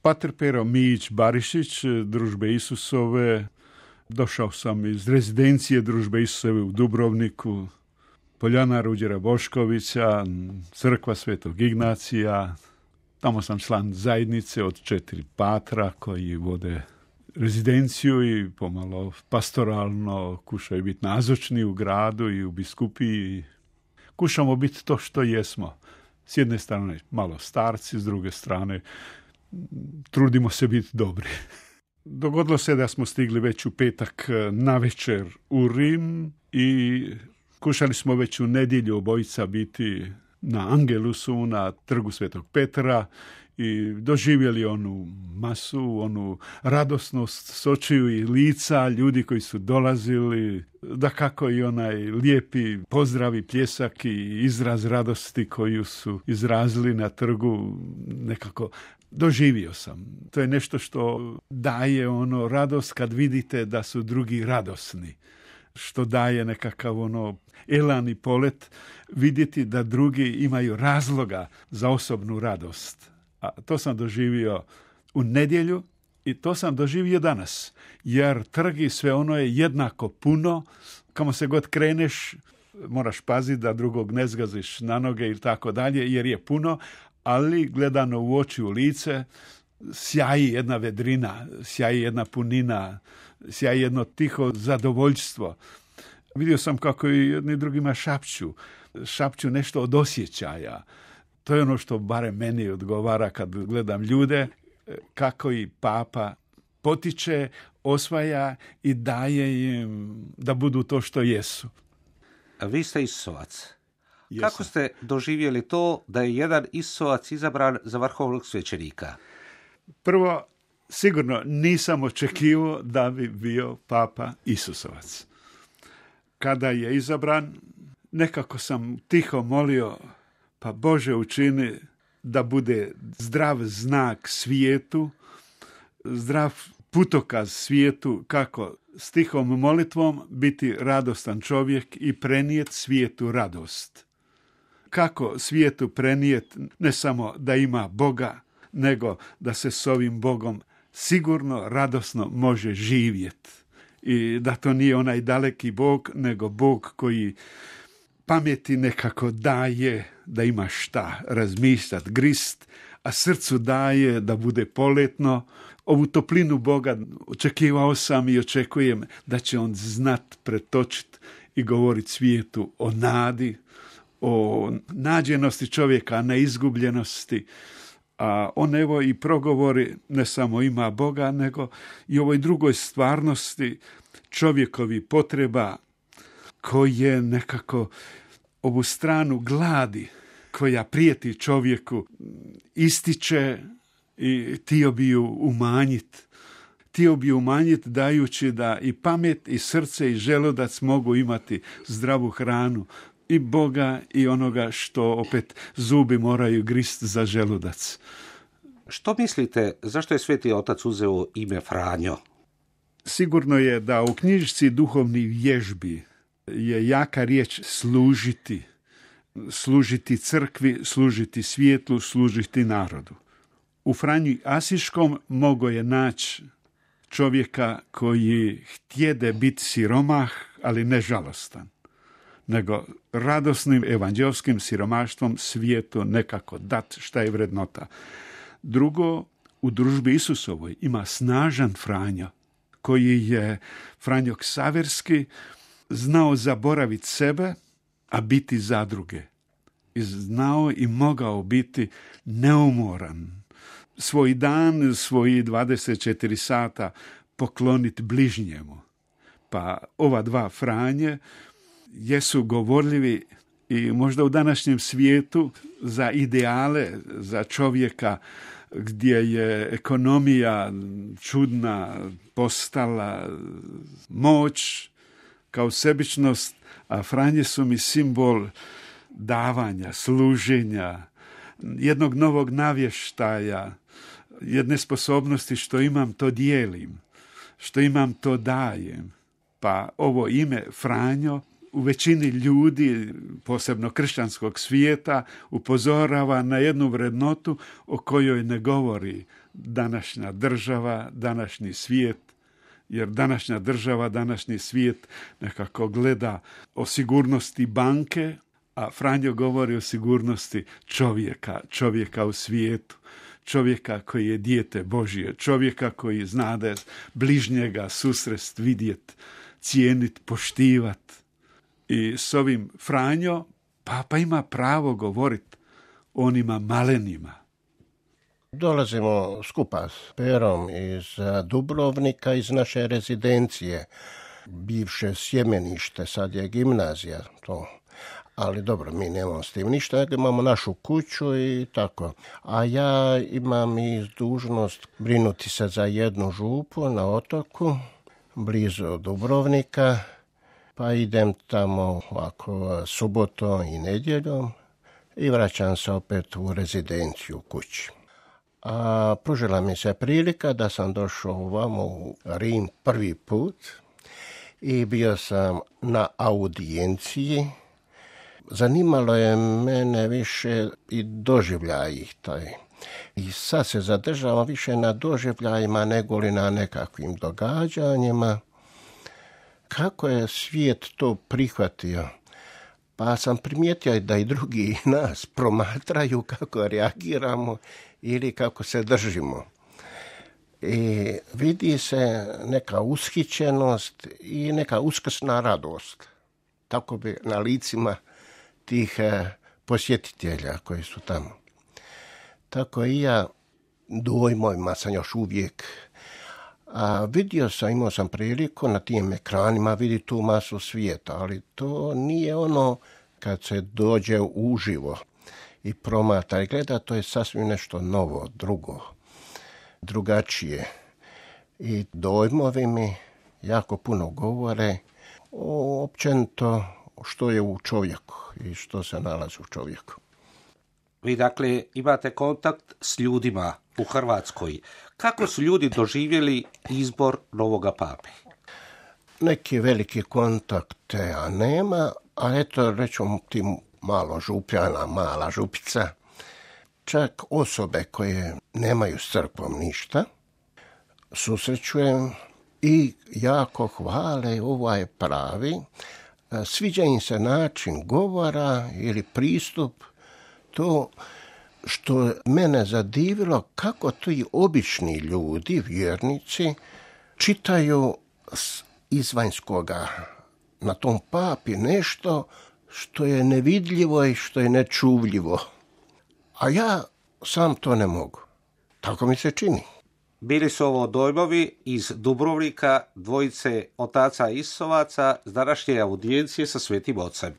Pater Pero Mijić Barišić, Družbe Isusove. Došao sam iz rezidencije Družbe Isusove u Dubrovniku, Poljana Ruđera Boškovića, crkva Svetog Ignacija. Tamo sam član zajednice od 4 patra koji vode rezidenciju i pomalo pastoralno kušaju biti nazočni u gradu i u biskupiji. Kušamo biti to što jesmo. S jedne strane malo starci, s druge strane trudimo se biti dobri. Dogodilo se da smo stigli već u petak navečer u Rim i kušali smo već u nedjelju obojica biti na Angelusu, na trgu Svetog Petra i doživjeli onu masu, onu radosnost s očiju i lica ljudi koji su dolazili, dakako i onaj lijepi pozdrav i pljesak i izraz radosti koju su izrazili na trgu, nekako doživio sam. To je nešto što daje ono radost kad vidite da su drugi radosni. Što daje nekakav ono elan i polet vidjeti da drugi imaju razloga za osobnu radost. A to sam doživio u nedjelju i to sam doživio danas. Jer trg i sve ono je jednako puno. Kamo se god kreneš, moraš paziti da drugog ne zgaziš na noge ili tako dalje, jer je puno, ali gledano u oči, u lice, sjaji jedna vedrina, sjaji jedna punina, sjaji jedno tiho zadovoljstvo. Vidio sam kako i jedni drugima šapću nešto od osjećaja. To je ono što barem meni odgovara kad gledam ljude, kako i Papa potiče, osvaja i daje im da budu to što jesu. A vi ste Isusovac. Jesam. Kako ste doživjeli to da je jedan Isusovac izabran za vrhovnog svećenika? Prvo, sigurno nisam očekivao da bi bio Papa Isusovac. Kada je izabran, nekako sam tiho molio, pa Bože učini da bude zdrav znak svijetu, zdrav putokaz svijetu, kako s tihom molitvom biti radostan čovjek i prenijet svijetu radost. Kako svijetu prenijet ne samo da ima Boga, nego da se s ovim Bogom sigurno, radosno može živjeti. I da to nije onaj daleki Bog, nego Bog koji pameti nekako daje da ima šta razmišljati, grist, a srcu daje da bude poletno. Ovu toplinu Boga očekivao sam i očekujem da će on znat pretočiti i govoriti svijetu o nadi, o nađenosti čovjeka, a ne izgubljenosti. A on evo i progovori ne samo ima Boga, nego i ovoj drugoj stvarnosti čovjekovi potreba koje nekako ovu stranu gladi koja prijeti čovjeku ističe i htio bi ju umanjiti. Htio bi umanjiti dajući da i pamet i srce i želudac mogu imati zdravu hranu i Boga i onoga što opet zubi moraju grist za želudac. Što mislite, zašto je Sveti Otac uzeo ime Franjo? Sigurno je da u knjižici duhovnih vježbi je jaka riječ služiti. Služiti crkvi, služiti svijetu, služiti narodu. U Franji Asiškom mogo je naći čovjeka koji htjede biti siromah, ali ne žalostan, nego radosnim evanđelskim siromaštvom svijetu nekako dat šta je vrednota. Drugo, u družbi Isusovoj ima snažan Franjo, koji je Franjo Ksaverski znao zaboraviti sebe, a biti za druge. I znao i mogao biti neumoran. Svoj dan, svoji 24 sata pokloniti bližnjemu. Pa ova dva Franje jesu govorljivi i možda u današnjem svijetu za ideale, za čovjeka gdje je ekonomija čudna postala, moć kao sebičnost, a Franje su mi simbol davanja, služenja, jednog novog navještaja, jedne sposobnosti što imam to dijelim, što imam to dajem. Pa ovo ime Franjo u većini ljudi, posebno kršćanskog svijeta, upozorava na jednu vrednotu o kojoj ne govori današnja država, današnji svijet, jer današnja država, današnji svijet nekako gleda o sigurnosti banke, a Franjo govori o sigurnosti čovjeka u svijetu, čovjeka koji je dijete Božje, čovjeka koji zna da je bližnjega susrest vidjet, cijenit, poštivat. I s ovim Franjo Papa ima pravo govorit o onima malenima. Dolazimo skupa s Perom iz Dubrovnika, iz naše rezidencije, bivše sjemenište, sad je gimnazija to. Ali dobro, mi nemamo s tim ništa, imamo našu kuću i tako. A ja imam i dužnost brinuti se za jednu župu na otoku, blizu Dubrovnika, pa idem tamo ovako subotom i nedjeljom i vraćam se opet u rezidenciju kući. A pružila mi se prilika da sam došao ovamo u Rim prvi put i bio sam na audijenciji. Zanimalo je mene više i doživljaj taj. I sad se zadržavam više na doživljajima nego li na nekakvim događanjima. Kako je svijet to prihvatio? Pa sam primijetio da i drugi nas promatraju kako reagiramo ili kako se držimo. I vidi se neka ushićenost i neka uskrsna radost. Tako bi na licima tih posjetitelja koji su tamo. Tako i ja dojmovima sam još uvijek. A imao sam priliku na tim ekranima vidjeti tu masu svijeta, ali to nije ono kad se dođe uživo i promatra i gleda, to je sasvim nešto novo, drugačije. I dojmovi mi jako puno govore o općenito što je u čovjeku i što se nalazi u čovjeku. Vi dakle imate kontakt s ljudima u Hrvatskoj. Kako su ljudi doživjeli izbor novoga pape? Neki veliki kontakt ja nema, a eto rećemo ti malo župljana, mala župica, čak osobe koje nemaju s crkvom ništa, susrećujem i jako hvale, ovaj pravi. Sviđa im se način govora ili pristup, to što mene zadivilo kako ti obični ljudi, vjernici, čitaju izvanjskoga na tom papi nešto što je nevidljivo i što je nečuvljivo. A ja sam to ne mogu. Tako mi se čini. Bili su ovo dojmovi iz Dubrovnika, dvojice otaca Isovaca s današnje audijencije sa Svetim Ocem.